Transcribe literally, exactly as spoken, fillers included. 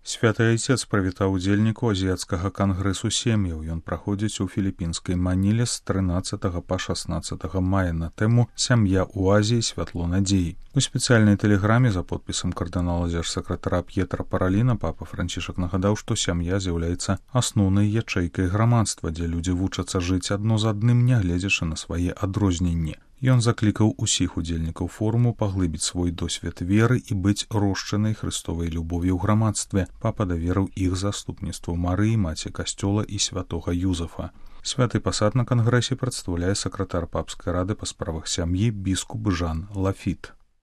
Святы Айцец прывітаў удзельнікаў азіяцкага кангрэсу сем'яў. Ён праходзіць у філіпінскай Маніле з трынаццатага па шаснаццатага мая на тэму «Сям'я ў Азіі. Святло надзеі». У спецыяльнай тэлеграме за подпісам кардынала дзяржсакратара П'етра Параліна папа Францішак нагадаў, што сям'я з'яўляецца асноўнай ячэйкай грамадства, дзе людзі вучацца жыць адно з адным, нягледзячы на свае адрозненні. Ён заклікаў усіх удзельнікаў форуму паглыбіць свой досвед веры і быць рошчанай хрыстовай любов'ю ў грамадстве. Папа даверыў іх заступніцтву Марыі, маці касцёла і святога Юзафа. Святы пасад на кангрэсе прадстаўляе сакратар папскай рады па справах сям'і біскуп Жан Лафіт.